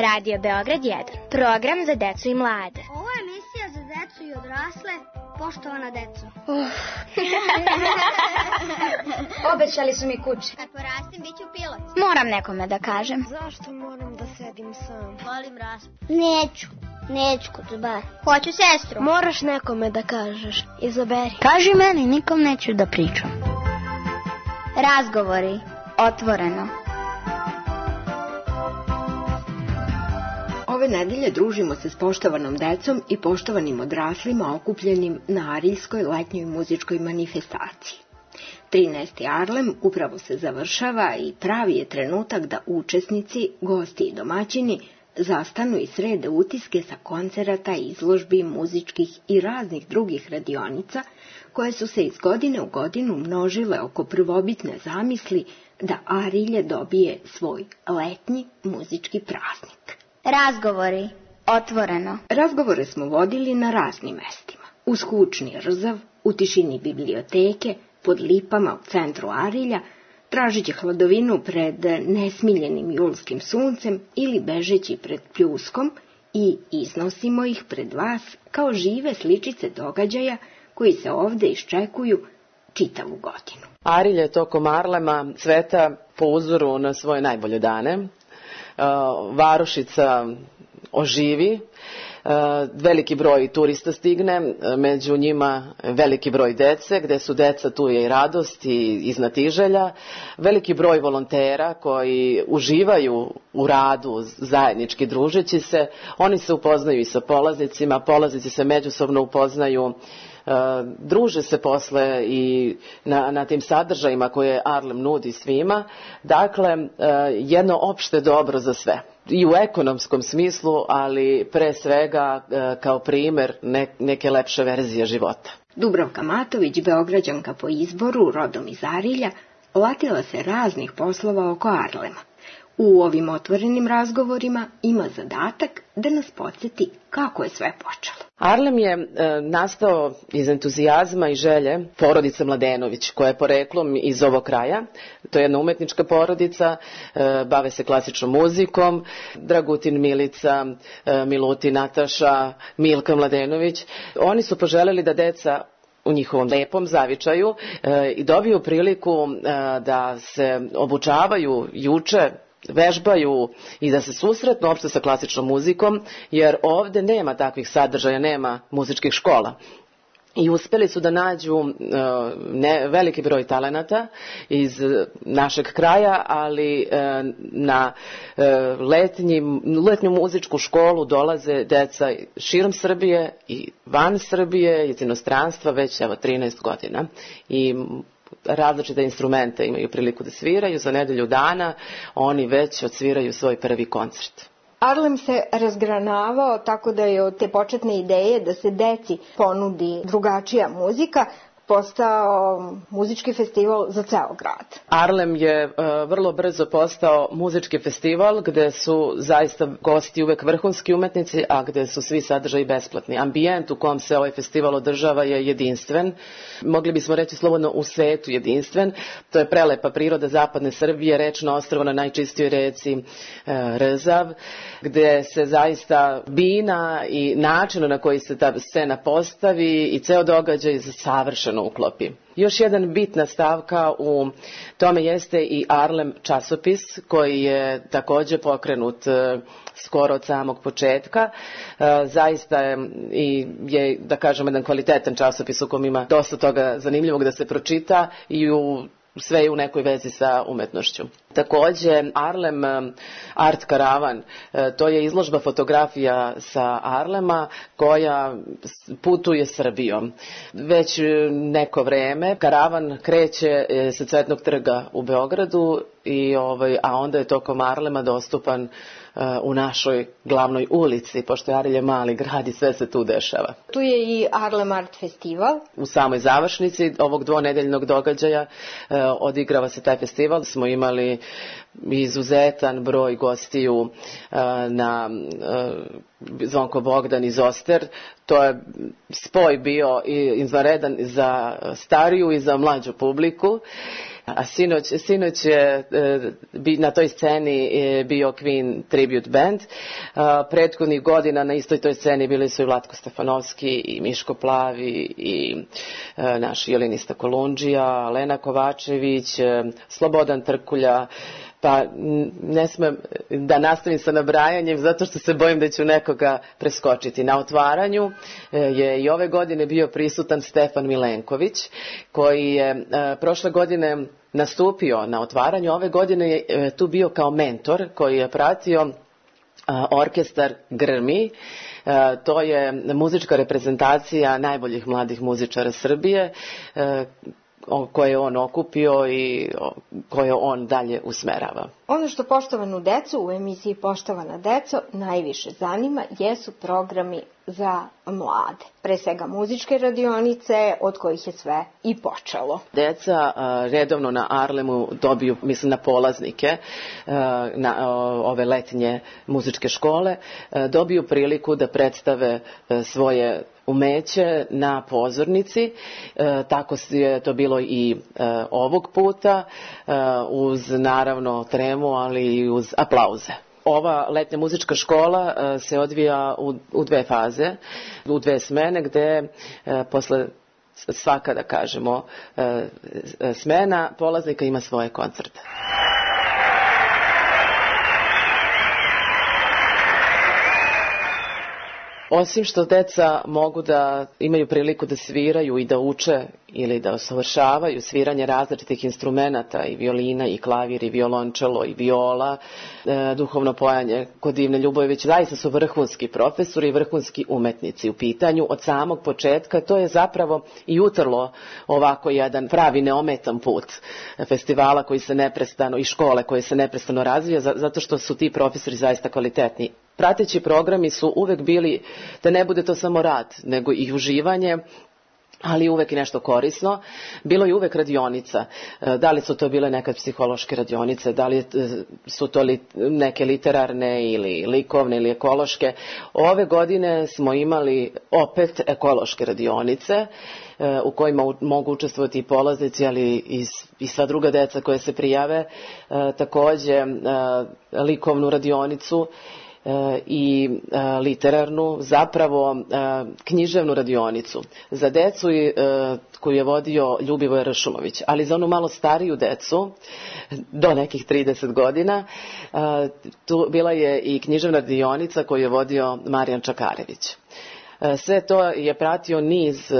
Radio Beograd 1. Program za decu i mlade. Ovo je emisija za decu i odrasle. Poštovana deco. Obećali su mi kuće. Kad porastim, bit ću pilot. Moram nekome da kažem. Zašto moram da sedim sam? Volim raspu. Neću kod bar. Hoću sestru. Moraš nekome da kažeš. Izaberi. Kaži meni, nikom neću da pričam. Razgovori. Otvoreno. Ove nedelje družimo se s poštovanom decom i poštovanim odraslima okupljenim na Ariljskoj letnjoj muzičkoj manifestaciji. 13. Arlem upravo se završava i pravi je trenutak da učesnici, gosti i domaćini zastanu i srede utiske sa koncerata, izložbi, muzičkih i raznih drugih radionica koje su se iz godine u godinu množile oko prvobitne zamisli da Arilje dobije svoj letnji muzički praznik. Razgovori. Otvoreno. Razgovore smo vodili na raznim mestima. Uz kućni Rzav, u tišini biblioteke, pod lipama u centru Arilja, tražeći hladovinu pred nesmiljenim julskim suncem ili bežeći pred pljuskom i iznosimo ih pred vas kao žive sličice događaja koji se ovde iščekuju čitavu godinu. Arilje tokom Arlema cveta po uzoru na svoje najbolje dane. Varošica oživi, veliki broj turista stigne, među njima veliki broj dece, gde su deca tu je i radost i iznatiželja, veliki broj volontera koji uživaju u radu zajednički družeći se, oni se upoznaju i sa polaznicima, polaznici se međusobno upoznaju, druže se posle i na tim sadržajima koje Arlem nudi svima. Dakle, jedno opšte dobro za sve. I u ekonomskom smislu, ali pre svega kao primer neke lepše verzije života. Dubravka Matović, Beograđanka po izboru, rodom iz Arilja, latila se raznih poslova oko Arlema. U ovim otvorenim razgovorima ima zadatak da nas podsjeti kako je sve počelo. Arlem je nastao iz entuzijazma i želje porodice Mladenović, koja je poreklom iz ovog kraja. To je jedna umetnička porodica, bave se klasičnom muzikom. Dragutin, Milica, Milutin, Nataša, Milka Mladenović. Oni su poželjeli da deca u njihovom lepom zavičaju i dobiju priliku da se obučavaju i uče, vežbaju i da se susretnu uopšte sa klasičnom muzikom, jer ovde nema takvih sadržaja, nema muzičkih škola. I uspeli su da nađu veliki broj talenata iz našeg kraja, ali na letnju muzičku školu dolaze deca širom Srbije i van Srbije, iz inostranstva već 13 godina. I različite instrumente imaju priliku da sviraju. Za nedelju dana oni već odsviraju svoj prvi koncert. Arlem se razgranavao tako da je od te početne ideje da se deci ponudi drugačija muzika postao muzički festival za ceo grad. Arlem je vrlo brzo postao muzički festival gde su zaista gosti uvek vrhunski umetnici, a gde su svi sadržaji besplatni. Ambijent u kom se ovaj festival održava je jedinstven. Mogli bismo reći slobodno u svetu jedinstven. To je prelepa priroda zapadne Srbije, rečno ostrvo na najčistijoj reci Rzav, gde se zaista bina i način na koji se ta scena postavi i ceo događaj savršeno uklopi. Još jedan bitna stavka u tome jeste i Arlem časopis, koji je takođe pokrenut skoro od samog početka. Zaista je, da kažem, jedan kvalitetan časopis u kom ima dosta toga zanimljivog da se pročita i sve je u nekoj vezi sa umetnošću. Takođe, Arlem Art Karavan, to je izložba fotografija sa Arlema koja putuje Srbijom. Već neko vreme karavan kreće sa Cvetnog trga u Beogradu, a onda je tokom Arlema dostupan u našoj glavnoj ulici, pošto je Arilje mali grad i sve se tu dešava. Tu je i Arlem Art Festival. U samoj završnici ovog dvonedeljnog događaja odigrava se taj festival. Smo imali izuzetan broj gostiju na Zvonko Bogdan iz Oster. To je spoj bio izvanredan za stariju i za mlađu publiku. A sinoć je na toj sceni bio Queen Tribute Band. Prethodnih godina na istoj toj sceni bili su i Vlatko Stefanovski i Miško Plavi i naš violinista Kolundžija, Lena Kovačević, Slobodan Trkulja. Pa ne smem da nastavim sa nabrajanjem zato što se bojim da ću nekoga preskočiti. Na otvaranju je i ove godine bio prisutan Stefan Milenković, koji je prošle godine nastupio na otvaranju. Ove godine je tu bio kao mentor koji je pratio orkestar Grmi. To je muzička reprezentacija najboljih mladih muzičara Srbije, koje je on okupio i koje on dalje usmerava. Ono što poštovanu decu u emisiji Poštovana deco najviše zanima jesu programi za mlade. Pre svega muzičke radionice, od kojih je sve i počelo. Deca redovno na Arlemu dobiju, mislim na polaznike, na ove letnje muzičke škole, dobiju priliku da predstave svoje umeće na pozornici. Tako je to bilo i ovog puta, uz naravno tremu, ali i uz aplauze. Ova letnja muzička škola se odvija u dve faze, u dve smene, gde posle svaka, da kažemo, smena polaznika ima svoje koncerte. Osim što deca mogu da imaju priliku da sviraju i da uče ili da usavršavaju sviranje različitih instrumenata, i violina, i klavir, i violončelo, i viola, duhovno pojanje kod Divne Ljubojević, zaista su vrhunski profesori i vrhunski umetnici u pitanju od samog početka. To je zapravo i utrlo ovako jedan pravi neometan put festivala koji se neprestano i škole koje se neprestano razvija, zato što su ti profesori zaista kvalitetni. Prateći programi su uvek bili da ne bude to samo rad, nego i uživanje, ali uvek i nešto korisno. Bilo je uvek radionica. Da li su to bile nekad psihološke radionice, da li su to neke literarne ili likovne ili ekološke. Ove godine smo imali opet ekološke radionice u kojima mogu učestvovati i polaznici, ali i sva druga deca koje se prijave. Takođe likovnu radionicu i literarnu, zapravo književnu radionicu za decu koju je vodio Ljubivoj Ršumović, ali za onu malo stariju decu do nekih 30 godina tu bila je i književna radionica koju je vodio Marijan Čakarević. Sve to je pratio niz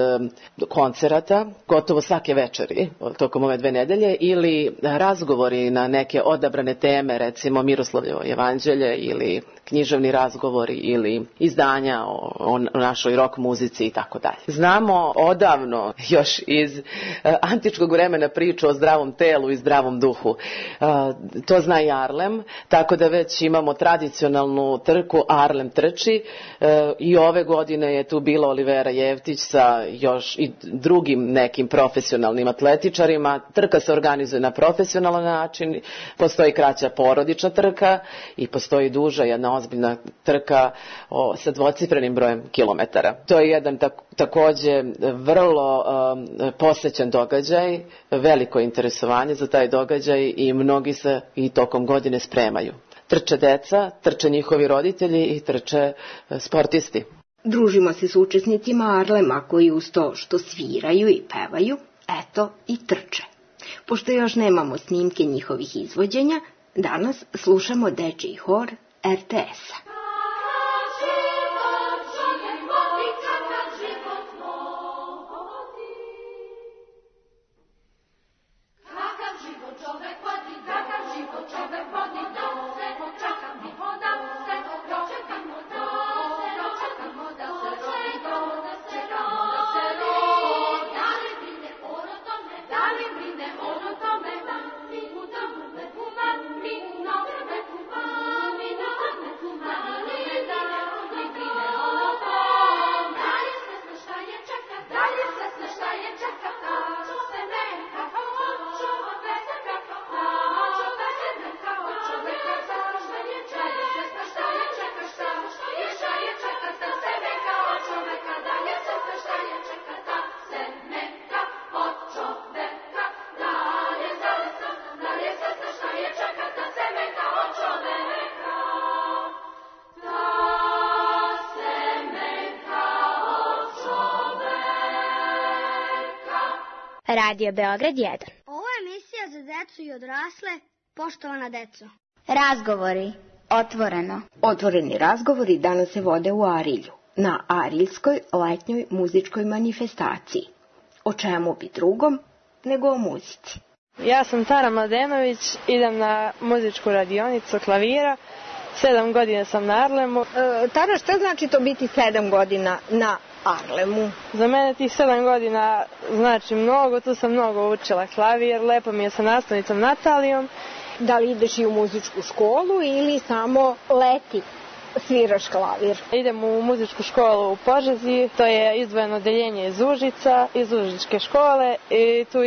koncerata, gotovo svake večeri tokom ove 2 nedelje, ili razgovori na neke odabrane teme, recimo Miroslavljevo evanđelje ili književni razgovori ili izdanja o našoj rock muzici i tako dalje. Znamo odavno, još iz antičkog vremena, priču o zdravom telu i zdravom duhu. To zna i Arlem, tako da već imamo tradicionalnu trku Arlem trči i ove godine je tu bila Olivera Jevtić sa još i drugim nekim profesionalnim atletičarima. Trka se organizuje na profesionalan način, postoji kraća porodična trka i postoji duža jedna ozbiljna trka sa dvocifrenim brojem kilometara. To je jedan takođe vrlo posećen događaj, veliko interesovanje za taj događaj i mnogi se i tokom godine spremaju. Trče deca, trče njihovi roditelji i trče sportisti. Družimo se s učesnicima Arlema koji uz to što sviraju i pevaju, eto i trče. Pošto još nemamo snimke njihovih izvođenja, danas slušamo dečiji hor RTS-a. Thank you. Radio Beograd 1. Ovo je emisija za decu i odrasle, poštovana deco. Razgovori. Otvoreno. Otvoreni razgovori danas se vode u Arilju, na Ariljskoj letnjoj muzičkoj manifestaciji. O čemu bi drugom nego o muzici. Ja sam Tara Mladenović, idem na muzičku radionicu klavira. 7 godina sam na Arlemu. Tara, šta znači to biti 7 godina na Arlemu? Za mene tih 7 godina znači mnogo, tu sam mnogo učila klavir, lepo mi je sa nastavnicom Natalijom. Da li ideš i u muzičku školu ili samo leti sviraš klavir? Idem u muzičku školu u Požegi, to je izdvojeno odeljenje iz Užica, iz Užičke škole i tu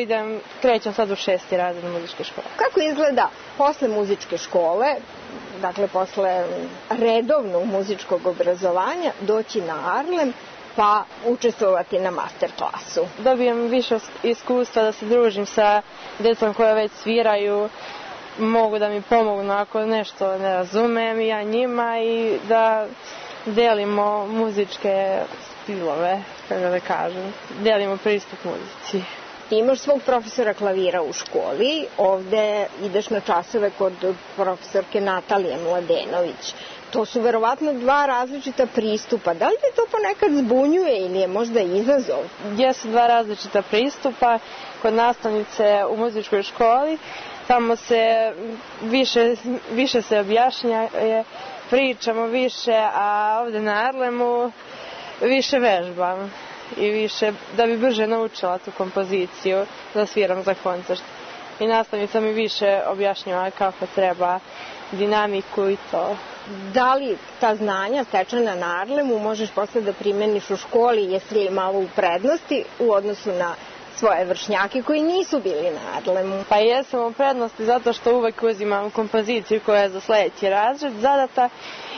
krećem sad u 6. razred muzičke škole. Kako izgleda posle muzičke škole, dakle posle redovnog muzičkog obrazovanja, doći na Arlem pa učestvovati na master klasu? Dobijem više iskustva da se družim sa djecom koja već sviraju, mogu da mi pomognu ako nešto ne razumem, ja njima, i da delimo muzičke stilove, kako da kažem, delimo pristup muzici. Ti imaš svog profesora klavira u školi, ovde ideš na časove kod profesorke Natalije Mladenović. To su verovatno 2 različita pristupa. Da li te to ponekad zbunjuje ili je možda izazov? Jesu 2 različita pristupa. Kod nastavnice u muzičkoj školi tamo se više se objašnja, pričamo više, a ovde na Arlemu više vežbam i više da bi brže naučila tu kompoziciju da sviram za koncert. I nastavnica mi više objašnjava kako treba dinamiku i to. Da li ta znanja stečena na Arlemu možeš posle da primeniš u školi, jesi li malo u prednosti u odnosu na svoje vršnjake koji nisu bili na Arlemu? Pa jesam u prednosti zato što uvek uzimam kompoziciju koja je za sledeći razred zadata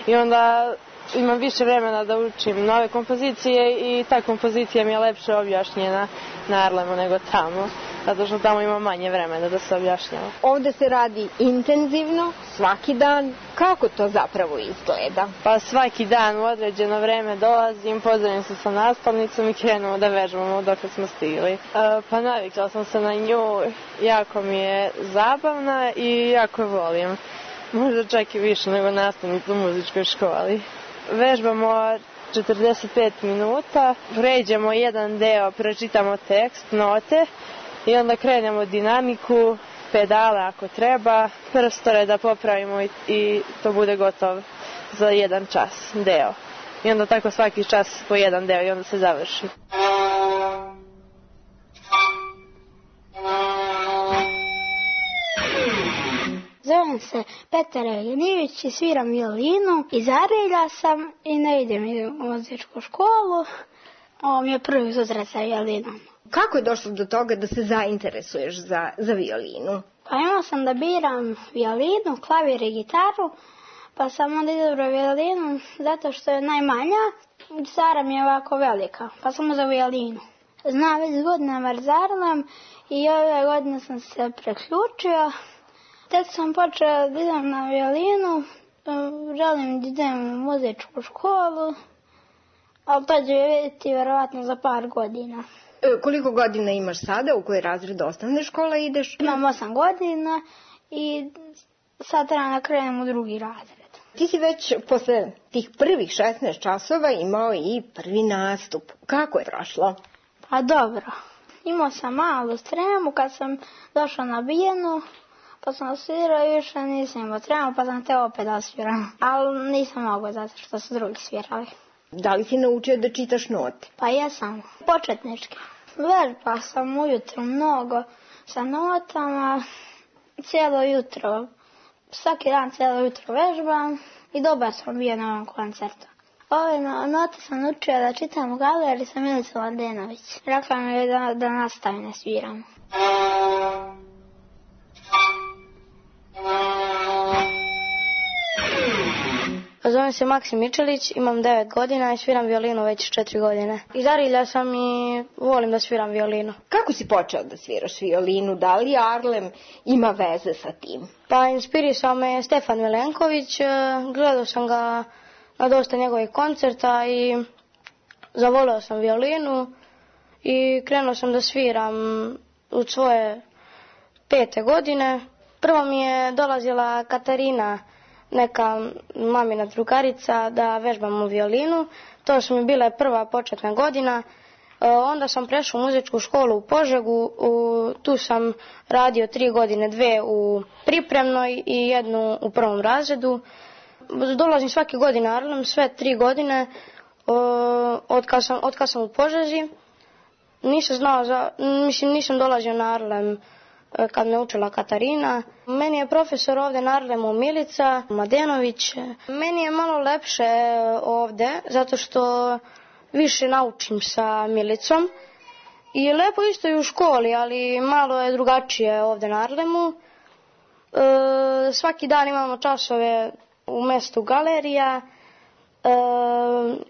i onda imam više vremena da učim nove kompozicije i ta kompozicija mi je lepše objašnjena na Arlemu nego tamo, zato što tamo ima manje vremena da se objašnjava. Ovde se radi intenzivno, svaki dan. Kako to zapravo izgleda? Pa svaki dan u određeno vreme dolazim, pozdravim se sa nastavnicom i krenemo da vežbamo dok smo stigli. Pa navikla sam se na nju, jako mi je zabavna i jako je volim. Možda čak i više nego nastavnicu u muzičkoj školi. Vežbamo 45 minuta, pređemo jedan deo, pročitamo tekst, note i onda krenemo dinamiku, pedale ako treba, prstore da popravimo i to bude gotovo za 1 čas deo. I onda tako svaki čas po 1 deo i onda se završi. Zovem se Petar Eljenivić i sviram violinu. Iz Arilja sam i ne idem u muzičku školu. Ovo mi je prvi susret sa violinom. Kako je došlo do toga da se zainteresuješ za violinu? Pa imao sam da biram violinu, klavir i gitaru, pa sam onda izabrao violinu zato što je najmanja. Gitara mi je ovako velika, pa sam uzeo violinu. Znam već godinama za Arlem i ove godine sam se preključio. Tek sam počela da idem na violinu, želim da idem u muzičku školu, ali to ću vidjeti verovatno za par godina. Koliko godina imaš sada, u koji razred osnovne škole ideš? Imam 8 godina i sad trebam da krenem u 2. razred. Ti si već posle tih prvih 16 časova imao i prvi nastup. Kako je prošlo? Pa dobro. Imao sam malu tremu kad sam došla na bijenu, pa sam svirao i više nisam imao tremu, pa sam te opet da sviram. Ali nisam mogao zato što su drugi svirali. Da li si naučio da čitaš note? Pa jesam, početnički. Vežba sam ujutro mnogo sa notama, cijelo jutro, svaki dan cijelo jutro vežbam i dobar sam bio na ovom koncertu. Ove note sam naučila da čitam u galeriji sa Milicom Mladenović. Rekla mi je da nastavim da sviram. Zovem se Maksim Mičelić, imam 9 godina i sviram violinu već 4 godine. Iz Arilja sam i volim da sviram violinu. Kako si počeo da sviraš violinu? Da li Arlem ima veze sa tim? Pa inspirisao me Stefan Milenković, gledao sam ga na dosta njegovih koncerta i zavoleo sam violinu i krenuo sam da sviram od svoje 5. godine. Prvo mi je dolazila Katarina, neka mamina drugarica, da vežbam u violinu. To su mi bile prva početna godina. Onda sam prešao u muzičku školu u Požegu. Tu sam radio 3 godine, 2 u pripremnoj i 1 u 1. razredu. Dolazim svake godine na Arlem, sve 3 godine od kad sam u Požegi. Nisam dolazio na Arlem kad me učila Katarina. Meni je profesor ovdje na Arlemu Milica Mladenović. Meni je malo lepše ovdje zato što više naučim sa Milicom. I lepo isto i u školi, ali malo je drugačije ovdje na Arlemu. Svaki dan imamo časove u mjestu galerija.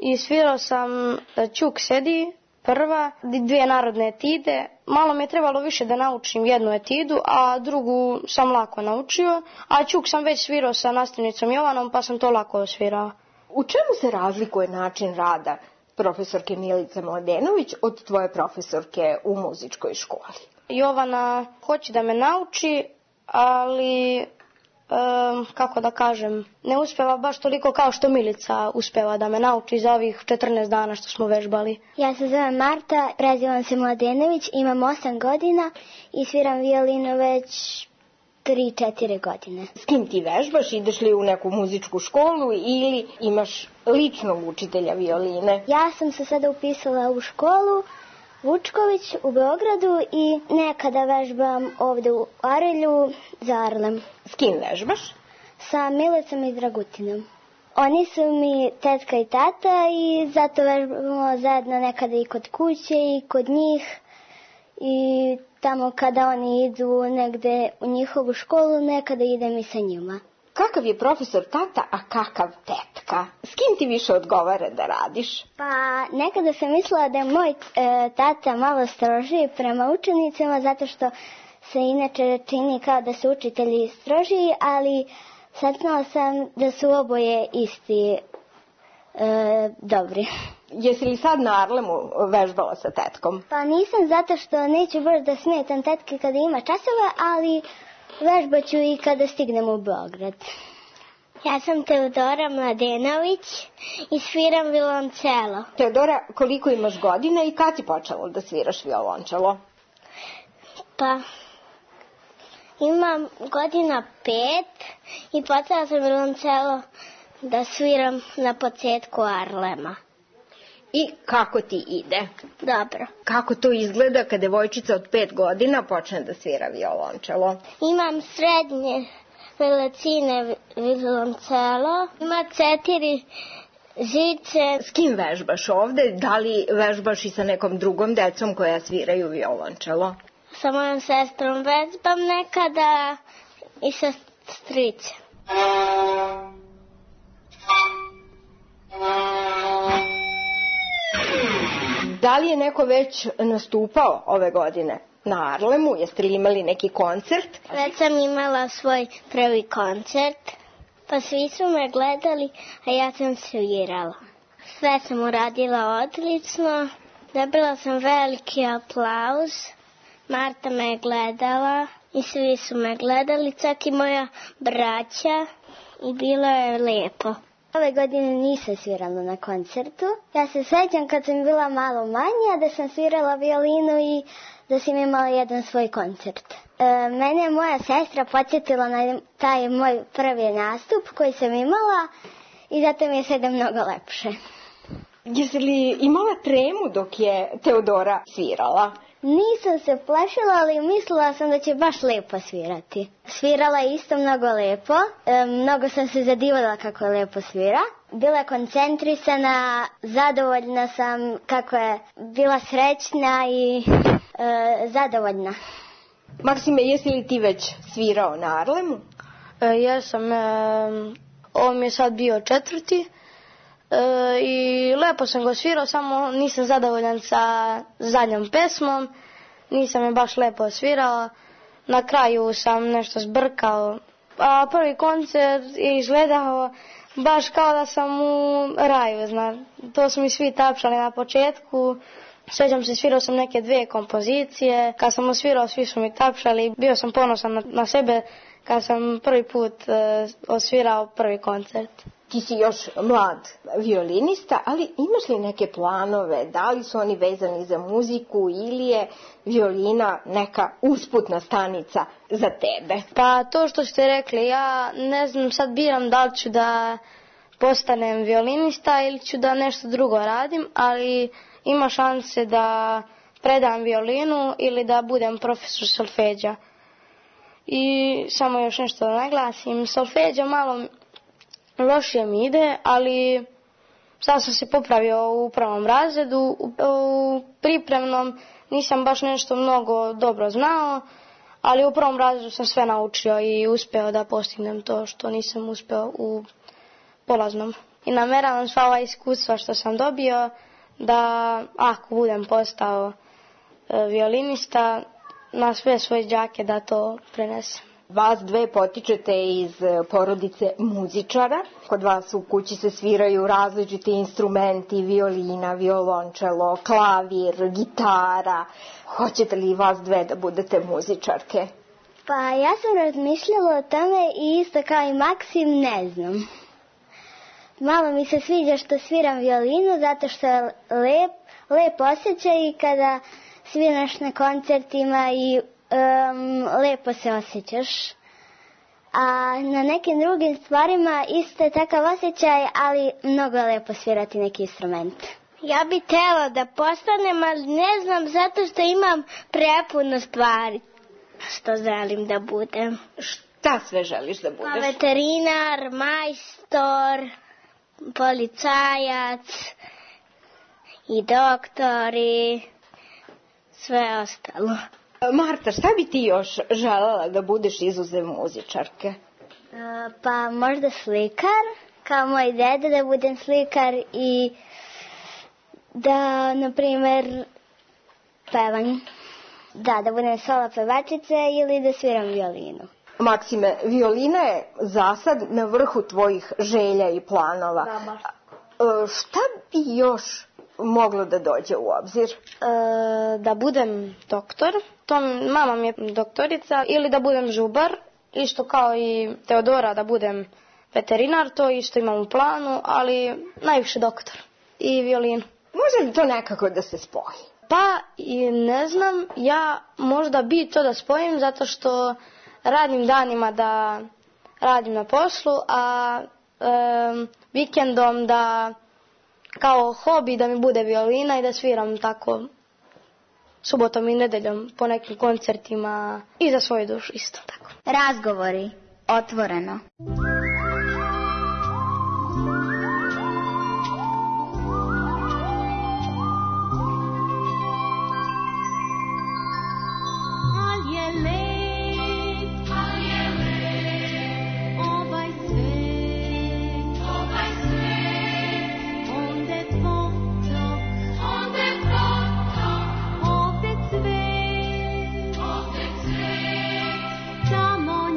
I svirao sam Ćuk sedi, prva, 2 narodne etide. Malo mi je trebalo više da naučim 1 etidu, a drugu sam lako naučio. A Ćuk sam već svirao sa nastavnicom Jovanom, pa sam to lako svirao. U čemu se razlikuje način rada profesorke Milice Mladenović od tvoje profesorke u muzičkoj školi? Jovana hoće da me nauči, ali kako da kažem, ne uspeva baš toliko kao što Milica uspeva da me nauči za ovih 14 dana što smo vežbali. Ja se zovem Marta, prezivam se Mladenović, imam 8 godina i sviram violinu već 3-4 godine. S kim ti vežbaš? Ideš li u neku muzičku školu ili imaš ličnog učitelja violine? Ja sam se sada upisala u školu Vučković u Beogradu i nekada vežbam ovdje u Arilju za Arlem. S kim vežbaš? Sa Milicom i Dragutinom. Oni su mi tetka i tata i zato vežbamo zajedno nekada i kod kuće i kod njih. I tamo kada oni idu negde u njihovu školu, nekada idem i sa njima. Kakav je profesor tata, a kakav tetka? S kim ti više odgovara da radiš? Pa nekada sam mislila da je moj tata malo strožiji prema učenicima, zato što se inače čini kao da su učitelji strožiji, ali saznala sam da su oboje isti dobri. Jesi li sad na Arlemu vežbala sa tetkom? Pa nisam, zato što neću baš da smetam tetke kada ima časove, ali vežbaću i kada stignem u Beograd. Ja sam Teodora Mladenović i sviram violoncelo. Teodora, koliko imaš godina i kad si počela da sviraš violončelo? Pa, imam godina 5 i počela sam violoncelo da sviram na početku Arlema. I kako ti ide? Dobro. Kako to izgleda kad devojčica od 5 godina počne da svira violončelo? Imam srednje veličine violoncelo, ima 4 žice. S kim vežbaš ovde? Da li vežbaš i sa nekom drugom decom koja sviraju violončelo? Sa mojom sestrom vežbam nekada i sa stricem. Da li je neko već nastupao ove godine na Arlemu? Jeste li imali neki koncert? Već sam imala svoj prvi koncert, pa svi su me gledali, a ja sam svirala. Sve sam uradila odlično, dobila sam veliki aplauz, Marta me je gledala i svi su me gledali, čak i moja braća, i bilo je lijepo. Ove godine nisam svirala na koncertu. Ja se sjećam kad sam bila malo manja da sam svirala violinu i da sam imala jedan svoj koncert. Mene je moja sestra podsjetila na taj moj prvi nastup koji sam imala i zato mi je sada mnogo lepše. Jesi li imala tremu dok je Teodora svirala? Nisam se plašila, ali mislila sam da će baš lepo svirati. Svirala je isto mnogo lepo, mnogo sam se zadivala kako je lepo svira. Bila je koncentrisana, zadovoljna sam kako je bila srećna i zadovoljna. Maksime, jesi li ti već svirao na Arlemu? Jesam, ovo mi je sad bio 4. I lepo sam ga svirao, samo nisam zadovoljan sa zadnjom pesmom, nisam je baš lepo svirao, na kraju sam nešto zbrkao, a prvi koncert je izgledao baš kao da sam u raju, to su mi svi tapšali na početku, Sjećam se, svirao sam neke 2 kompozicije. Kad sam osvirao, svi su mi tapšali. Bio sam ponosan na sebe kad sam prvi put osvirao prvi koncert. Ti si još mlad violinista, ali imaš li neke planove? Da li su oni vezani za muziku ili je violina neka usputna stanica za tebe? Pa to što ste rekli, ja ne znam, sad biram da li ću da postanem violinista ili ću da nešto drugo radim, ali ima šanse da predam violinu ili da budem profesor solfeđa. I samo još nešto da naglasim, solfeđa malo lošije mi ide, ali sad sam se popravio u prvom razredu, u pripremnom nisam baš nešto mnogo dobro znao, ali u prvom razredu sam sve naučio i uspeo da postignem to što nisam uspeo u polaznom. I nameravam sva ova iskustva što sam dobio da ako budem postao violinista, na sve svoje đake da to prenesem. Vas dve potičete iz porodice muzičara. Kod vas u kući se sviraju različiti instrumenti, violina, violončelo, klavir, gitara. Hoćete li vas dve da budete muzičarke? Pa ja sam razmišljala o tome i isto kao i Maksim ne znam. Malo mi se sviđa što sviram violinu zato što je lep osjećaj i kada sviraš na koncertima i lepo se osjećaš. A na nekim drugim stvarima isto je takav osjećaj, ali mnogo je lepo svirati neki instrument. Ja bih htjela da postanem, ali ne znam zato što imam prepuno stvari što želim da budem. Šta sve želiš da budeš? Veterinar, majstor, policajac i doktor i sve ostalo. Marta, šta bi ti još željela da budeš izuzev muzičarke? Pa možda slikar, kao moj deda da budem slikar i da, na primjer, pevam. Da budem solo pevačica ili da sviram violinu. Maksime, violina je zasad na vrhu tvojih želja i planova. Da, baš. Šta bi još moglo da dođe u obzir? Da budem doktor, to mama mi je doktorica, ili da budem žubar, isto kao i Teodora da budem veterinar, to isto imam u planu, ali najviše doktor i violinu. Može li to nekako da se spoji? Pa i ne znam, ja možda bi to da spojim zato što radim danima da radim na poslu, a vikendom da kao hobi da mi bude violina i da sviram tako subotom i nedeljom po nekim koncertima i za svoju dušu isto tako. Razgovori, otvoreno. Tamo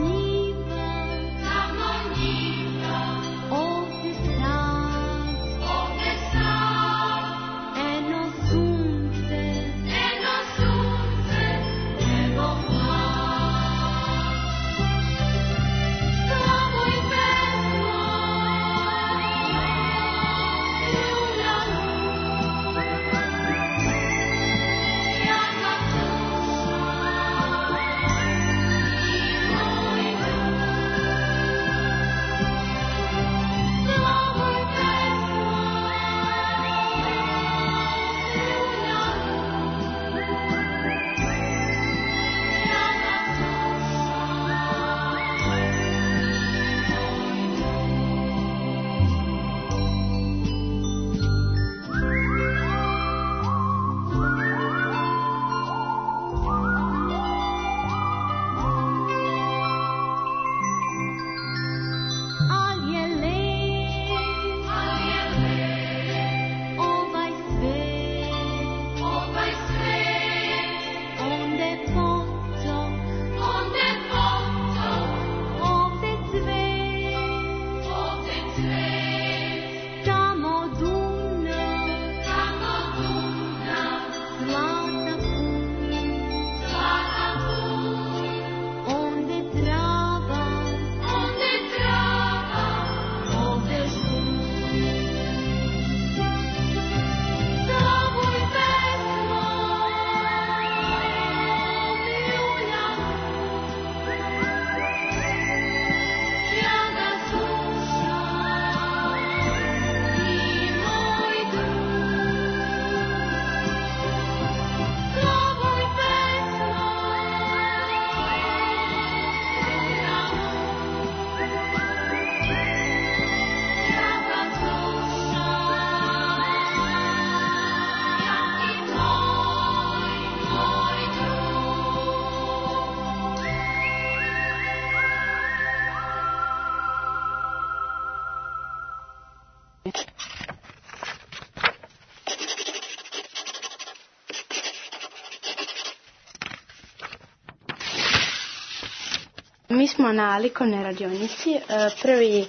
Mi smo na likovnoj radionici. Prvi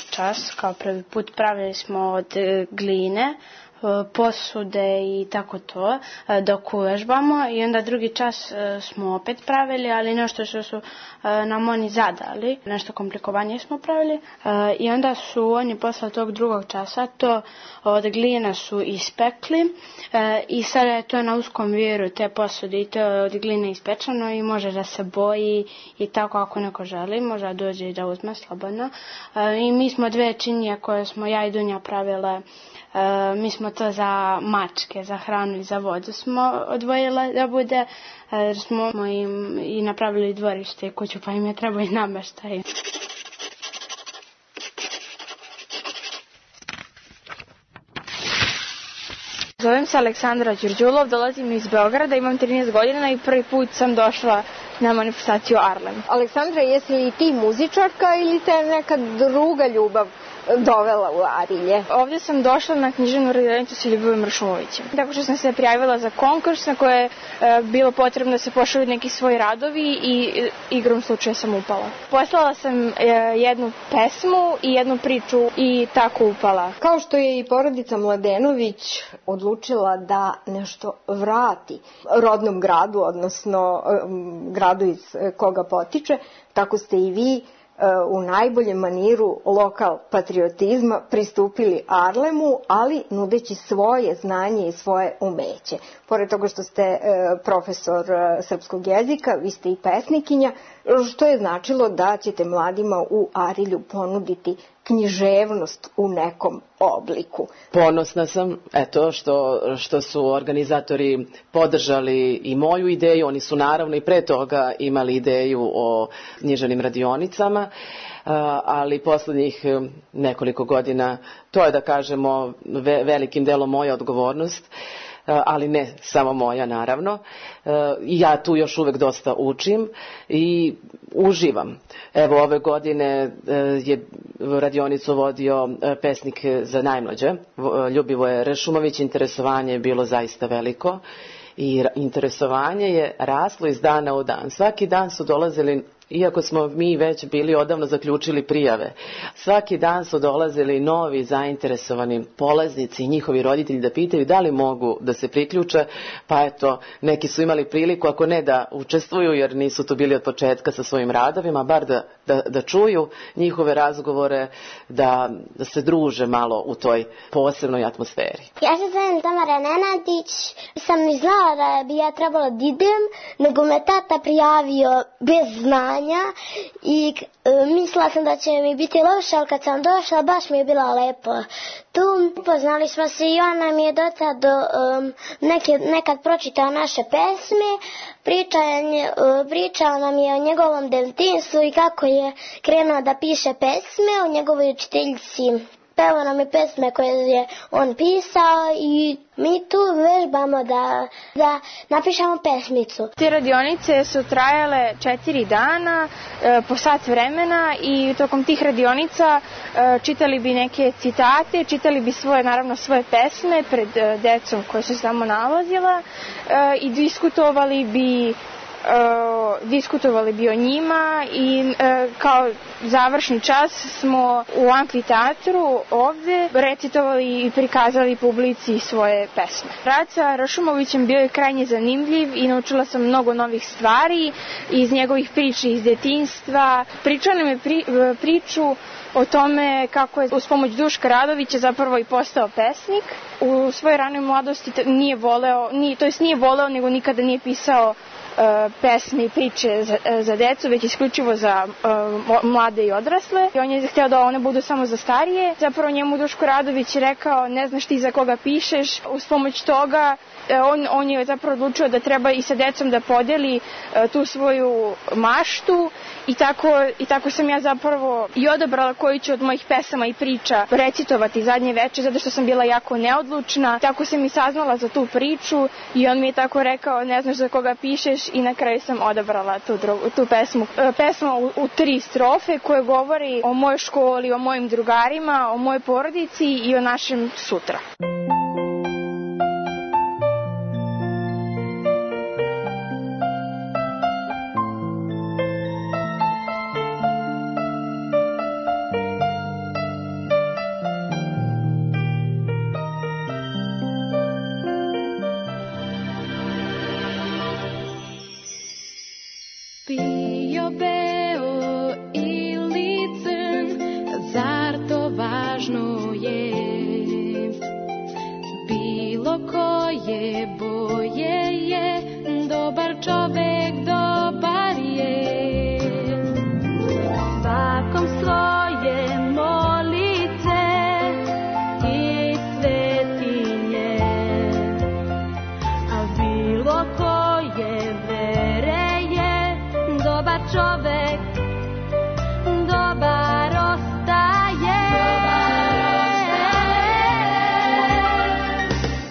čas, kao prvi put, pravili smo od gline, posude i tako to, dok uvežbamo, i onda drugi čas smo opet pravili, ali nešto što su nam oni zadali, nešto komplikovanije smo pravili, i onda su oni posle tog drugog časa to od glina su ispekli, i sada je to na uskom viru te posude i to je od gline ispečano i može da se boji i tako, ako neko želi, može da dođe i da uzme slobodno. I mi smo dve činije koje smo ja i Dunja pravile. Mi smo to za mačke, za hranu i za vodu smo odvojile da bude, jer smo im i napravili dvorište i kuću, pa im je trebao i nameštaj. Zovem se Aleksandra Đurđulov, dolazim iz Beograda, imam 13 godina i prvi put sam došla na manifestaciju Arlem. Aleksandra, jesi li ti muzičarka ili te neka druga ljubav dovela u Arilje? Ovdje sam došla na književnu radionicu sa Ljubovim Ršumovićem. Tako što sam se prijavila za konkurs na koje je bilo potrebno da se pošalju neki svoji radovi i igrom slučaja sam upala. Poslala sam jednu pesmu i jednu priču i tako upala. Kao što je i porodica Mladenović odlučila da nešto vrati rodnom gradu, odnosno gradu iz koga potiče, tako ste i vi u najboljem maniru lokal patriotizma pristupili Arlemu, ali nudeći svoje znanje i svoje umeće. Pored toga što ste profesor srpskog jezika, vi ste i pesnikinja, što je značilo da ćete mladima u Arilju ponuditi književnost u nekom obliku. Ponosna sam, eto, što su organizatori podržali i moju ideju. Oni su naravno i pre toga imali ideju o književnim radionicama, ali poslednjih nekoliko godina, to je, da kažemo, velikim delom moja odgovornost, ali ne samo moja, naravno. Ja tu još uvek dosta učim i uživam. Evo, ove godine je radionicu vodio pesnik za najmlađe, Ljubivoje Ršumović. Interesovanje je bilo zaista veliko i interesovanje je raslo iz dana u dan. Svaki dan su dolazili, iako smo mi već bili odavno zaključili prijave, svaki dan su dolazili novi zainteresovani polaznici i njihovi roditelji da pitaju da li mogu da se priključe, pa eto, neki su imali priliku, ako ne da učestvuju, jer nisu tu bili od početka sa svojim radovima, bar da čuju njihove razgovore, da se druže malo u toj posebnoj atmosferi. Ja se zovem Tamara Nenadić, sam i znala da bi ja trebala da idem, nego me tata prijavio bez znanja i mislila sam da će mi biti loše, ali kad sam došla baš mi je bilo lepo. Tu upoznali smo se i on nam je nekad pročitao naše pesme, pričao nam je o njegovom detinjstvu i kako je krenuo da piše pesme, o njegovoj učiteljici. Pevao nam je pesme koje je on pisao i mi tu vežbamo da napišemo pesmicu. Te radionice su trajale 4 dana, po sat vremena, i tokom tih radionica čitali bi neke citate, čitali bi naravno svoje pesme pred decom koje su se tamo nalazila i diskutovali bi o njima i kao završni čas smo u amfiteatru ovde recitovali i prikazali publici svoje pesme. Rad sa Ršumovićem bio je krajnje zanimljiv i naučila sam mnogo novih stvari iz njegovih priča iz detinjstva. Pričao nam je priču o tome kako je uz pomoć Duška Radovića zapravo i postao pesnik. U svojoj ranoj mladosti nije voleo, nego nikada nije pisao pesme i priče za decu, već isključivo za mlade i odrasle. I on je hteo da one budu samo za starije. Zapravo njemu Duško Radović rekao, ne znaš ti za koga pišeš. Uz pomoć toga on je zapravo odlučio da treba i sa decom da podeli tu svoju maštu i tako sam ja zapravo i odabrala koju ću od mojih pesama i priča recitovati zadnje veče, zato što sam bila jako neodlučna. Tako sam i saznala za tu priču i on mi je tako rekao, ne znaš za koga pišeš, i na kraju sam odabrala tu pesmu. Pesma u 3 strofe koje govori o mojoj školi, o mojim drugarima, o mojoj porodici i o našem sutra. bio beo ili crn, zar to važno je? Bilo koje boje je, dobar čovek dobar je. Svakom svoje molice i svetinje, a bilo koje vere je, dobar čovek dobar ostaje.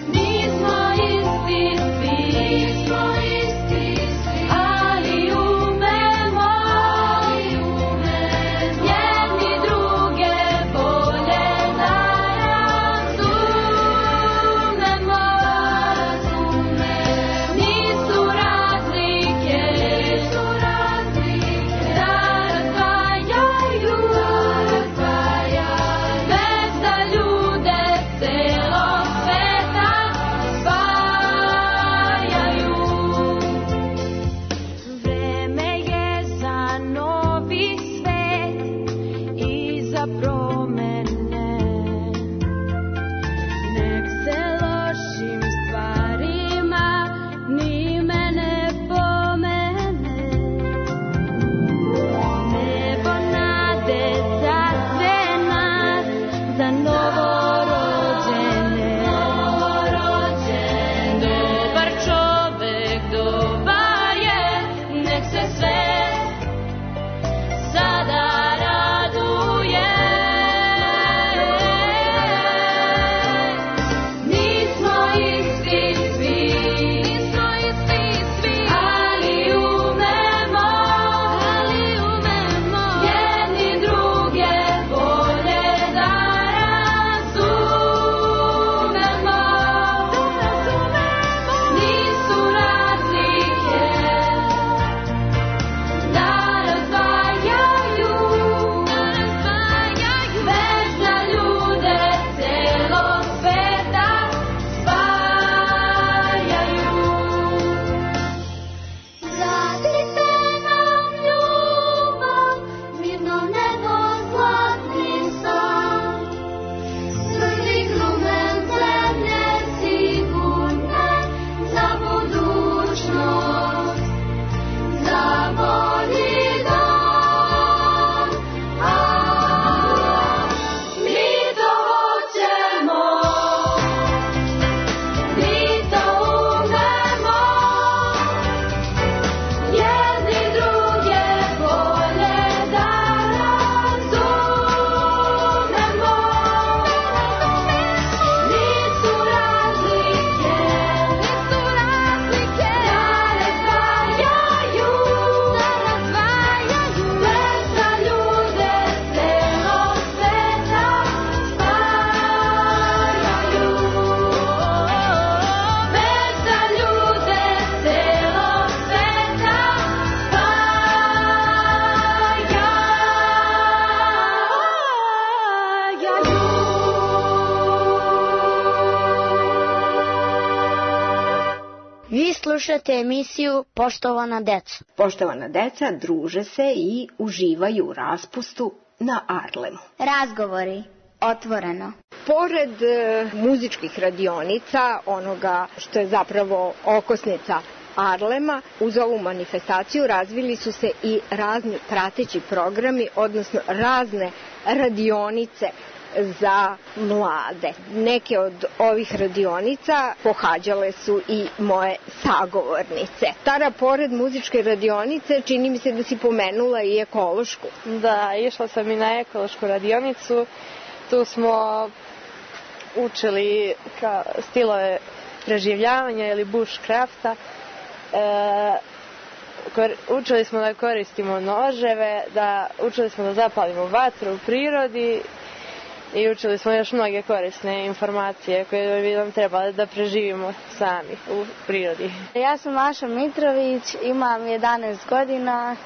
Nismo isti svi, ali umemo jedni druge bolje da razumemo. Nisu razlike da razdvajaju, već da ljude celog sveta spajaju. Vreme je za novi svet i za promene. Nek se lošim stvarima ni mene pomene. Nebo nade zacvena za novorođene. Dobar čovek dobar je, nek se svet sada raduje. Nismo isti svi, ali umemo jedni druge bolje da razumemo. Nisu razlike da razdvajaju, već da ljude celog sveta spajaju. Vratite nam ljubav, mirno nebo, zlatni san, crni grumen zemlje sigurne za budućnost, za bolji dan. Mi to hoćemo, mi to umemo, jedni druge bolje da razumemo. Nisu razlike da razdvajaju, već da ljude celog sveta spajaju. Već da ljude celog sveta Vi slušate emisiju Poštovana deco. Poštovana deca druže se i uživaju u raspustu na Arlemu. Razgovori otvoreno. Pored muzičkih radionica, onoga što je zapravo okosnica Arlema, uz ovu manifestaciju razvili su se i razni prateći programi, odnosno razne radionice za mlade. Neke od ovih radionica pohađale su i moje sagovornice. Tara, pored muzičke radionice, čini mi se da si pomenula i ekološku. Da, išla sam i na ekološku radionicu. Tu smo učili stilove preživljavanja ili bushcrafta. Učili smo da koristimo noževe, učili smo da zapalimo vatru u prirodi i učili smo još mnoge korisne informacije koje bi nam trebali da preživimo sami u prirodi. Ja sam Maša Mitrović, imam 11 godina.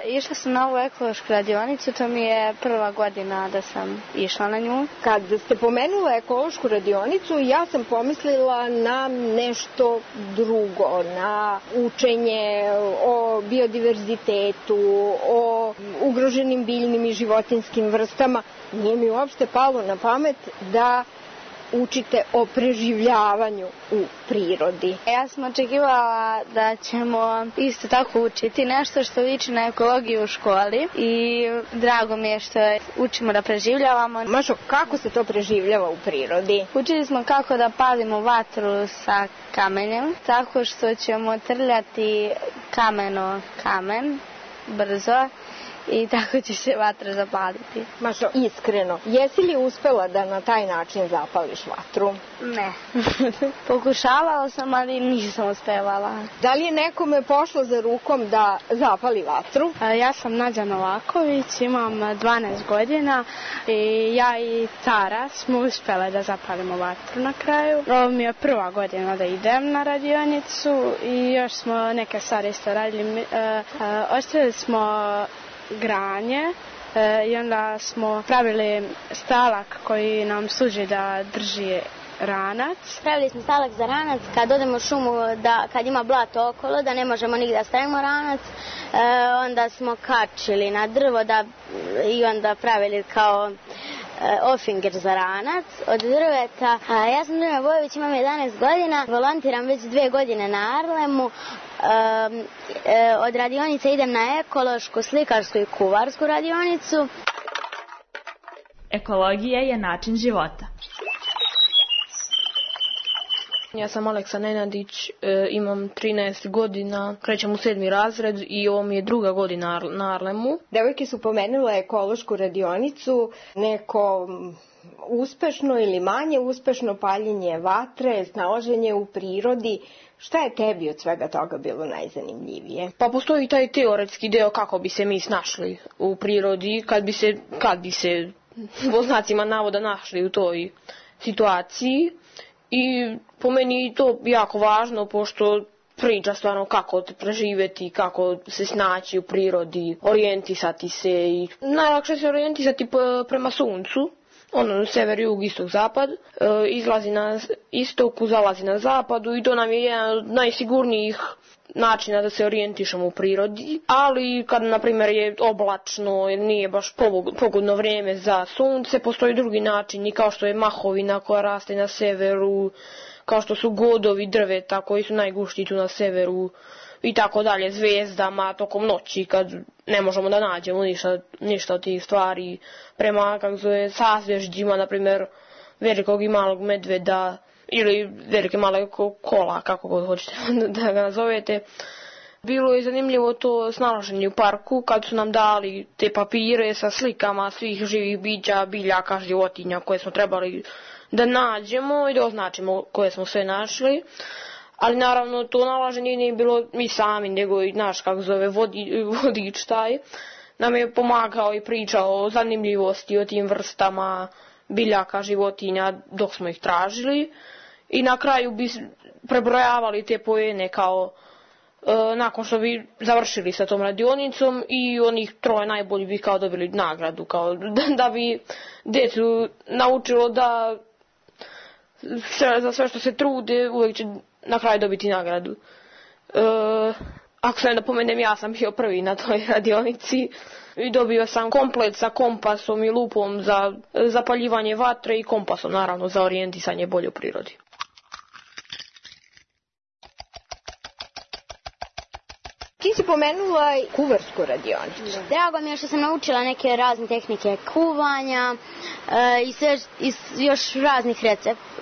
Išla sam na ovu ekološku radionicu, to mi je prva godina da sam išla na nju. Kad ste pomenula ekološku radionicu, ja sam pomislila na nešto drugo, na učenje o biodiverzitetu, o ugroženim biljnim i životinjskim vrstama. Nije mi uopšte palo na pamet da učite o preživljavanju u prirodi. Ja sam očekivala da ćemo isto tako učiti nešto što liči na ekologiju u školi i drago mi je što učimo da preživljavamo. Mašo, kako se to preživljava u prirodi? Učili smo kako da palimo vatru sa kamenjem, tako što ćemo trljati kamen brzo i tako će se vatra zapaliti. Mašo, iskreno, jesi li uspela da na taj način zapališ vatru? Ne. Pokušavala sam, ali nisam uspevala. Da li je nekome pošlo za rukom da zapali vatru? Ja sam Nađa Novaković, imam 12 godina i ja i Tara smo uspjele da zapalimo vatru na kraju. Ovo mi je prva godina da idem na radionicu i još smo neke stvari isto radili. Ostavili smo granje i onda smo pravili stalak koji nam služi da drži ranac. Pravili smo stalak za ranac kad odemo u šumu, kad ima blato okolo, da ne možemo nigdje da stavimo ranac. Onda smo kačili na drvo i onda pravili kao ofinger za ranac od drveta. Ja sam Drina Bojović, imam 11 godina, volontiram već 2 godine na Arlemu. Od radionice idem na ekološku, slikarsku i kuvarsku radionicu. Ekologija je način života. Ja sam Aleksa Nenadić, imam 13 godina, krećem u 7. razred i ovo mi je 2. godina na Arlemu. Devojke su pomenule ekološku radionicu, neko uspešno ili manje uspešno paljenje vatre, snalaženje u prirodi. Šta je tebi od svega toga bilo najzanimljivije? Pa postoji taj teoretski deo kako bi se mi snašli u prirodi, kad bi se po znacima navoda našli u toj situaciji. I po meni je to jako važno, pošto priča stvarno kako preživjeti, kako se snaći u prirodi, orijentisati se. I najlakše se orijentisati prema suncu, sever, jug, istok, zapad, izlazi na istoku, zalazi na zapadu i to nam je jedan od najsigurnijih načina da se orijentišemo u prirodi, ali kad na primjer je oblačno ili nije baš pogodno vrijeme za sunce, postoji drugi način, i kao što je mahovina koja raste na severu, kao što su godovi drveta koji su najgušći tu na severu i tako dalje, zvijezdama tokom noći kad ne možemo da nađemo ništa od tih stvari, prema sazvježđima, na primjer velikog i malog medveda ili velike male kola, kako god hoćete da ga nazovete. Bilo je zanimljivo to snalaženje u parku kad su nam dali te papire sa slikama svih živih bića, biljaka, životinja koje smo trebali da nađemo i da označimo koje smo sve našli. Ali naravno to nalaženje nije bilo mi sami, nego i naš vodič taj nam je pomagao i pričao o zanimljivosti, o tim vrstama biljaka, životinja dok smo ih tražili. I na kraju bi prebrojavali te poene kao nakon što bi završili sa tom radionicom i onih 3 najbolji bi kao dobili nagradu, kao da bi djecu naučilo da za sve što se trude uvijek će na kraju dobiti nagradu. Ako se ne napomenem, ja sam bio prvi na toj radionici i dobio sam komplet sa kompasom i lupom za zapaljivanje vatre i kompasom naravno za orijentisanje bolje u prirodi. Ti si pomenula kuvarsku radionicu. Drago mi je što sam naučila neke razne tehnike kuvanja i još raznih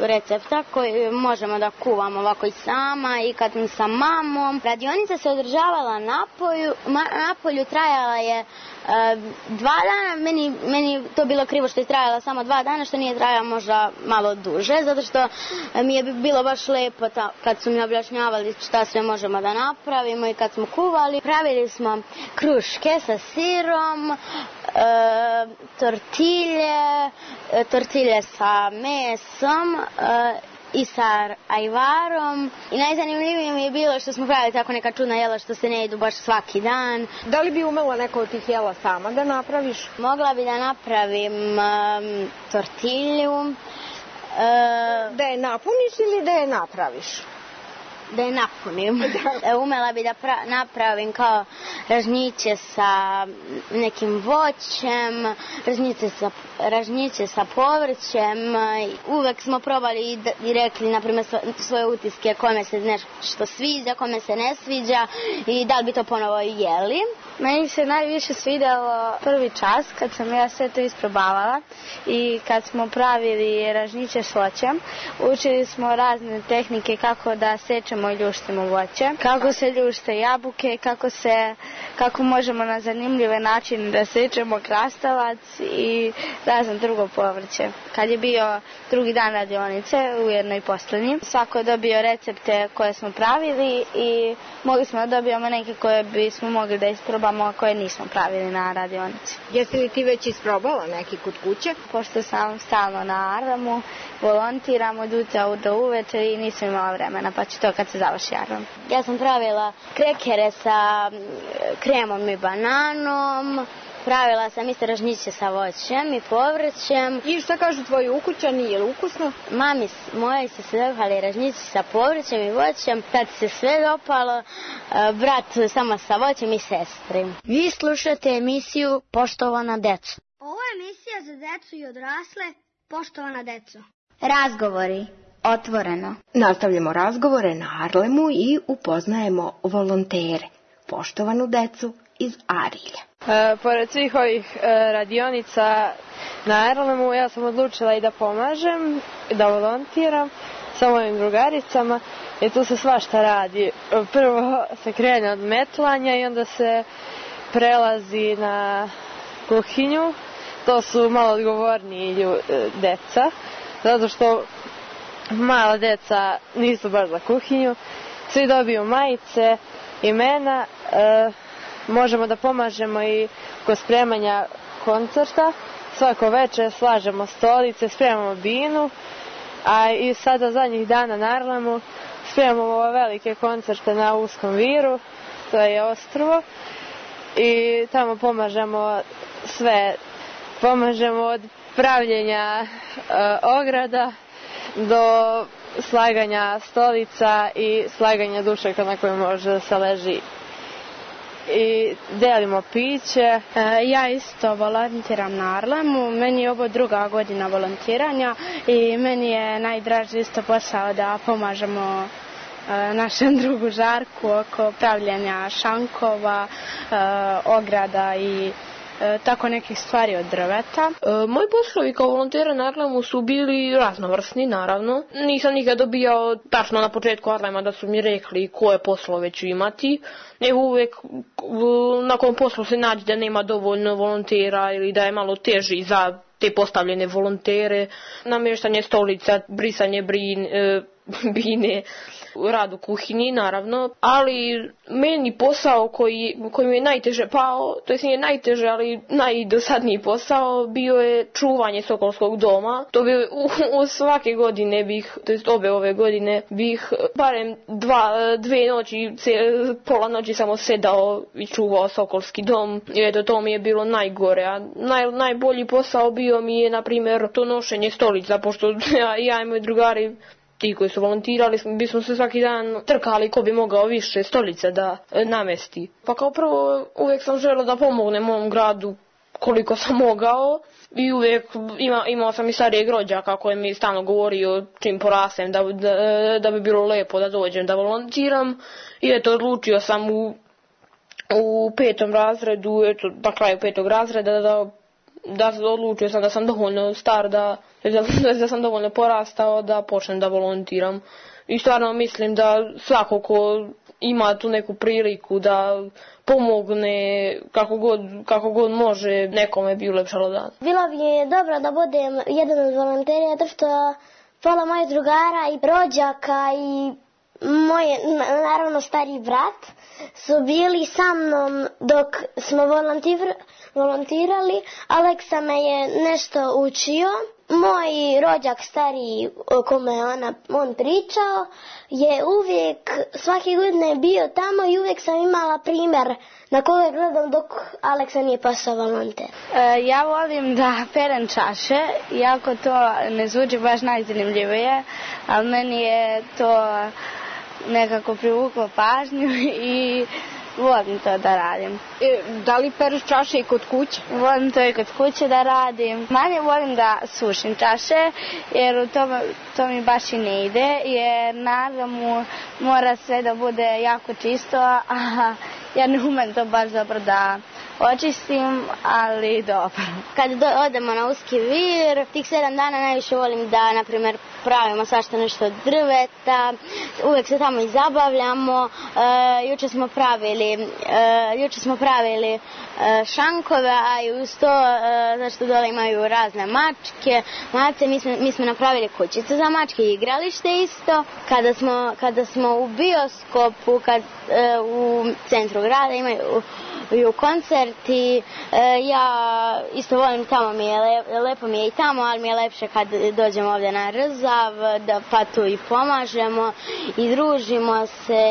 recepta koje možemo da kuvamo ovako i sama i kad sam sa mamom. Radionica se održavala napolju, trajala je 2 dana. Meni to bilo krivo što je trajala samo 2 dana, što nije trajala možda malo duže, zato što mi je bilo baš lepo kad su mi objašnjavali šta sve možemo da napravimo i kad smo kuvali. čuvali. Pravili smo kruške sa sirom, tortilje sa mesom i sa ajvarom. I najzanimljivije mi je bilo što smo pravili tako neka čudna jela što se ne jedu baš svaki dan. Da li bi umela neko od tih jela sama da napraviš? Mogla bi da napravim tortilju. Da je napuniš ili da je napraviš? Da je napunim. Umela bi da napravim kao ražnjiće sa nekim voćem, ražnjiće sa povrćem. Uvek smo probali i rekli, na primjer, svoje utiske kome se nešto sviđa, kome se ne sviđa i da li bi to ponovo jeli. Meni se najviše svidjelo prvi čas kad sam ja sve to isprobavala i kad smo pravili ražnjiće s voćem. Učili smo razne tehnike kako da sečemo i ljuštimo voće, kako se ljušte jabuke, kako možemo na zanimljive načine da sečemo krastavac i razno drugo povrće. Kad je bio drugi dan radionice, ujedno i posljednji, svako je dobio recepte koje smo pravili i mogli smo da dobijemo neke koje bismo mogli da isprobamo, a koje nismo pravili na radionici. Jesi li ti već isprobala neki kod kuće? Pošto sam stalno na Arlemu, volontiram od jutra do uveče i nisam imala vremena, pa ću to kad se završi Arlem. Ja sam pravila krekere sa kremom i bananom, pravila sam isto ražnjiće sa voćem i povrćem. I šta kažu tvoji ukućani, je li ukusno? Mami moji su se dopali ražnjiće sa povrćem i voćem, tad se sve dopalo, brat samo sa voćem i sestri. Vi slušate emisiju Poštovana deco. Ovo je emisija za decu i odrasle, poštovana deco. Razgovori, otvoreno. Nastavljamo razgovore na Arlemu i upoznajemo volontere, poštovanu decu iz Arilja. Pored svih ovih radionica na Arlemu, ja sam odlučila i da pomažem, da volontiram sa mojim drugaricama i tu se svašta radi. Prvo se krene od metlanja i onda se prelazi na kuhinju. To su malo odgovorniji deca, zato što mala deca nisu baš za kuhinju. Svi dobiju majice, imena, možemo da pomažemo i kod spremanja koncerta. Svako večer slažemo stolice, spremamo binu, a i sada zadnjih dana na Arlemu spremamo ove velike koncerte na Uskom Viru, to je ostrvo, i tamo pomažemo sve. Pomažemo od pravljenja ograda do slaganja stolica i slaganja dušeka na kojoj može da se leži. I delimo piće. Ja isto volontiram na Arlemu, meni je ovo druga godina volontiranja i meni je najdraži isto posao da pomažemo našem drugu Žarku oko pravljenja šankova, ograda i tako nekih stvari od drveta. Moji poslovi kao volontera na Arlemu su bili raznovrsni, naravno. Nisam nikad dobijao tačno na početku Arlema da su mi rekli koje poslove ću imati, nego uvek nakon poslu se nađe da nema dovoljno volontera ili da je malo teži za te postavljene volontere. Namještanje stolica, brisanje bine, rad u kuhinji, naravno, ali meni posao koji mi je najteže pao, to je najteže, ali najdosadniji posao bio je čuvanje Sokolskog doma. To bi u svake godine obe ove godine bih barem dve noći, pola noći samo sedao i čuvao Sokolski dom. I eto, to mi je bilo najgore, a najbolji posao bio mi je, na primjer, to nošenje stolica, pošto ja i moji drugari, ti koji su volontirali, bismo se svaki dan trkali ko bi mogao više stolice da namesti. Pa kao prvo, uvijek sam želio da pomognem mom gradu koliko sam mogao i uvijek imao sam i starijeg rođaka koji mi stalno govorio čim porasem da bi bilo lepo da dođem da volontiram. I eto, odlučio sam u 5. razredu, eto, na kraju 5. razreda da odlučio sam da sam dovoljno star, da sam dovoljno porastao da počnem da volontiram. I stvarno mislim da svako ko ima tu neku priliku da pomogne kako god može, nekome bi ulepšalo dan. Bilo bi je dobro da budem jedan od volontera, zato što pola mojih drugara i rođaka i Moj, naravno, stari brat su bili sa mnom dok smo volontirali. Aleksa me je nešto učio. Moj rođak stariji o kome on pričao je uvijek, svake godine bio tamo i uvijek sam imala primjer na koga gledam dok Aleksa nije postao volonter. Ja volim da perem čaše, iako to ne zvuči baš najzanimljivije, ali meni je to nekako privuklo pažnju i volim to da radim. Da li pereš čaše i kod kuće? Volim to i kod kuće da radim. Manje volim da sušim čaše, jer to mi baš i ne ide, jer naravno mora sve da bude jako čisto, a ja ne umem to baš dobro da očistim, ali dobro. Kad odemo na Uski vir, tih 7 dana najviše volim da, na primjer, pravimo svašta nešto od drveta, uvijek se tamo i zabavljamo. Juče smo pravili šankove, a i uz to, zašto dole imaju razne mačke, mace, mi smo napravili kućicu za mačke i igralište isto. Kada smo u bioskopu, u centru grada imaju koncerti, ja isto volim tamo, lepo mi je i tamo, ali mi je lepše kad dođemo ovdje na Rzav, pa tu i pomažemo i družimo se.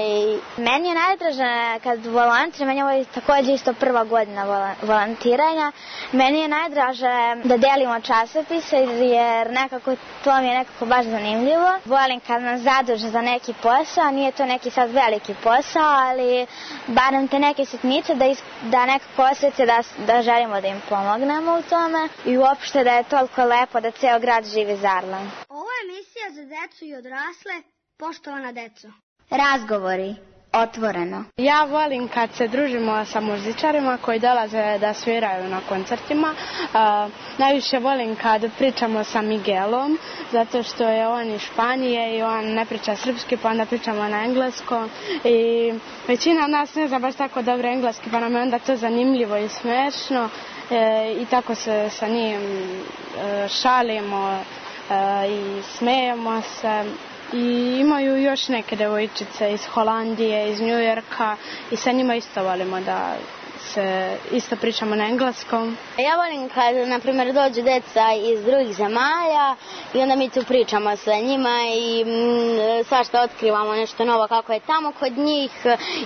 Meni je najdraže kad volontiram, meni je ovo također isto prva godina volontiranja, meni je najdraže da delimo časopise, jer nekako to mi je nekako baš zanimljivo. Volim kad nas zaduže za neki posao, nije to neki sad veliki posao, ali barem te neke sitnice da nekako osjete da želimo da im pomognemo u tome i uopšte da je toliko lepo da ceo grad živi Zarland. Ovo je emisija za decu i odrasle, poštovana deco. Razgovori. Otvoreno. Ja volim kad se družimo sa muzičarima koji dolaze da sviraju na koncertima. Najviše volim kad pričamo sa Miguelom, zato što je on iz Španije i on ne priča srpski, pa onda pričamo na engleskom. I većina nas ne zna baš tako dobro engleski, pa nam je onda to zanimljivo i smešno. I tako se sa njim šalimo i smejemo se. I imaju još neke devojčice iz Holandije, iz Njujorka i sa njima isto volimo da se isto pričamo na engleskom. Ja volim kad, na primjer, dođu deca iz drugih zemalja i onda mi tu pričamo sa njima i svašta otkrivamo nešto novo kako je tamo kod njih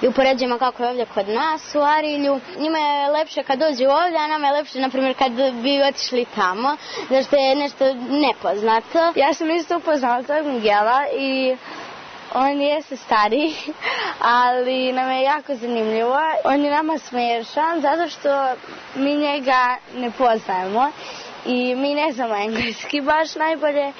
i upoređujemo kako je ovdje kod nas u Arilju. Njima je lepše kad dođu ovdje, a nama je lepše, na primjer, kad bi otišli tamo, zašto je nešto nepoznato. Ja sam isto upoznala tog Miguela i on jeste stari, ali nam je jako zanimljivo. On je nama smiješan zato što mi njega ne poznajemo i mi ne znamo engleski baš najbolje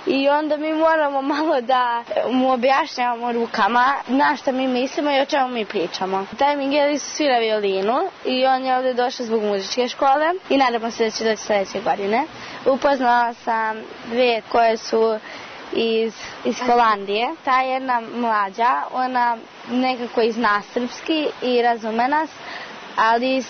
i onda mi moramo malo da mu objašnjavamo rukama na što mi mislimo i o čemu mi pričamo. Taj Miguel svira violinu i on je ovdje došao zbog muzičke škole i nadamo se da će doći sljedeće godine. Upoznala sam dvije koje su iz Holandije. Ta jedna mlađa, ona nekako i zna srpski i razume nas, ali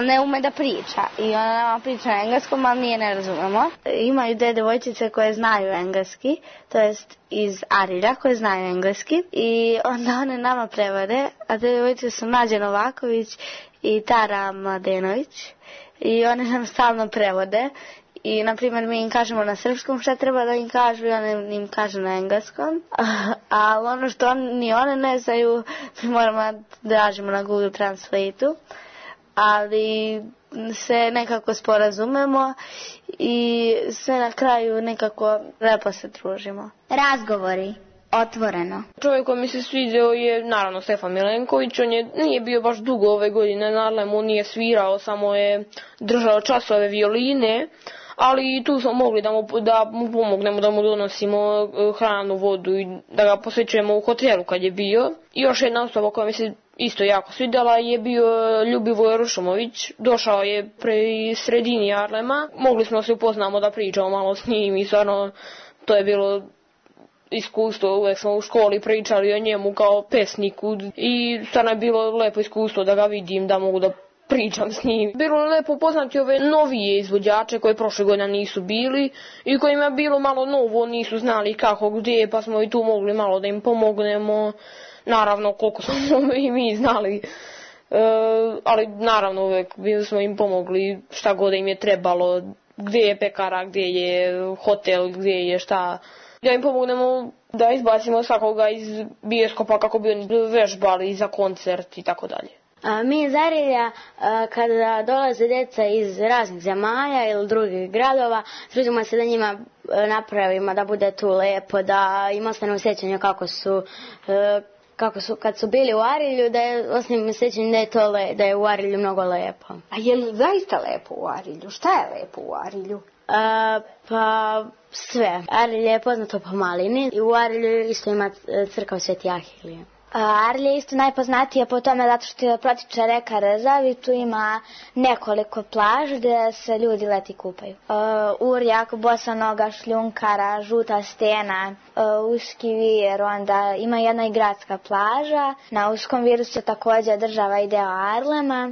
ne ume da priča. I ona nama priča na engleskom, ali nije ne razumemo. Imaju dve devojčice koje znaju engleski, to jest iz Arilja koje znaju engleski. I onda one nama prevode, a te devojčice su Nađa Novaković i Tara Mladenović. I one nam stalno prevode. I, na primjer, mi im kažemo na srpskom šta treba da im kažu i one im kažu na engleskom. Ali ono što ni one ne znaju, mi moramo da tražimo na Google Translate-u. Ali se nekako sporazumemo i sve na kraju nekako lepo se družimo. Razgovori. Otvoreno. Čovjek koji mi se sviđao je naravno Stefan Milenković. On nije bio baš dugo ove godine na Arlemu, nije svirao, samo je držao časove violine. Ali tu smo mogli da mu pomognemo, da mu donosimo hranu, vodu i da ga posjećujemo u hotelu kad je bio. I još jedna osoba koja mi se isto jako svidjela je bio Ljubivoj Rušomović. Došao je pri sredini Arlema. Mogli smo se upoznamo da pričamo malo s njim i stvarno to je bilo iskustvo. Uvijek smo u školi pričali o njemu kao pesniku i stvarno je bilo lepo iskustvo da ga vidim, da mogu da pričam s njim. Bilo je lepo upoznati ove novije izvođače koje prošle godine nisu bili i kojima je bilo malo novo, nisu znali kako, gdje, pa smo i tu mogli malo da im pomognemo. Naravno, koliko smo i mi znali. Ali naravno uvijek smo im pomogli šta god im je trebalo, gdje je pekara, gdje je hotel, gdje je šta. Da im pomognemo da izbacimo svakoga iz bioskopa kako bi oni vežbali za koncert i tako dalje. Mi iz Arilja, kada dolaze djeca iz raznih zemalja ili drugih gradova, trudimo se da njima napravimo da bude tu lepo, da im ostane u sjećanju kako su kad su bili u Arilju, da je osnovnim sjećanjem da je u Arilju mnogo lepo. A je li zaista lepo u Arilju? Šta je lepo u Arilju? Pa sve. Arilje je poznato po malini i u Arilju isto ima crkva Sveti Ahilije. Arilje je isto najpoznatije po tome zato što protiče reka Rezava i tu ima nekoliko plaža gdje se ljudi leti kupaju. Urjak, Bosanoga, Šljunkara, Žuta stena, Uski vir, onda ima jedna i gradska plaža. Na Uskom viru se također država i deo Arlema.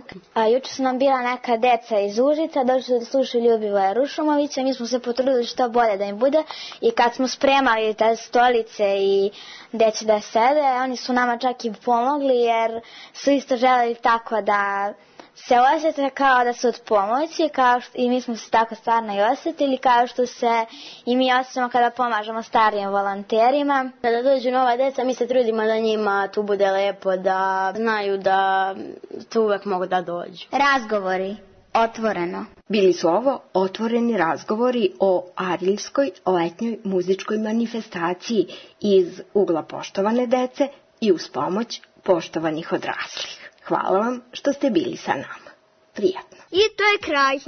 Juče su nam bila neka deca iz Užica, došli da slušaju Ljubivoja Rušumovića, mi smo se potrudili što bolje da im bude i kad smo spremali te stolice i gdje će da sede, oni su nama čak i pomogli jer su isto želeli tako da se osjete kao da su od pomoći i mi smo se tako stvarno i osjetili kao što se i mi osjećamo kada pomažemo starijim volonterima. Kada dođu nova djeca mi se trudimo da njima tu bude lepo, da znaju da tu uvek mogu da dođu. Razgovori. Otvoreno. Bili su ovo otvoreni razgovori o Ariljskoj letnjoj muzičkoj manifestaciji iz ugla poštovane dece i uz pomoć poštovanih odraslih. Hvala vam što ste bili sa nama. Prijatno. I to je kraj.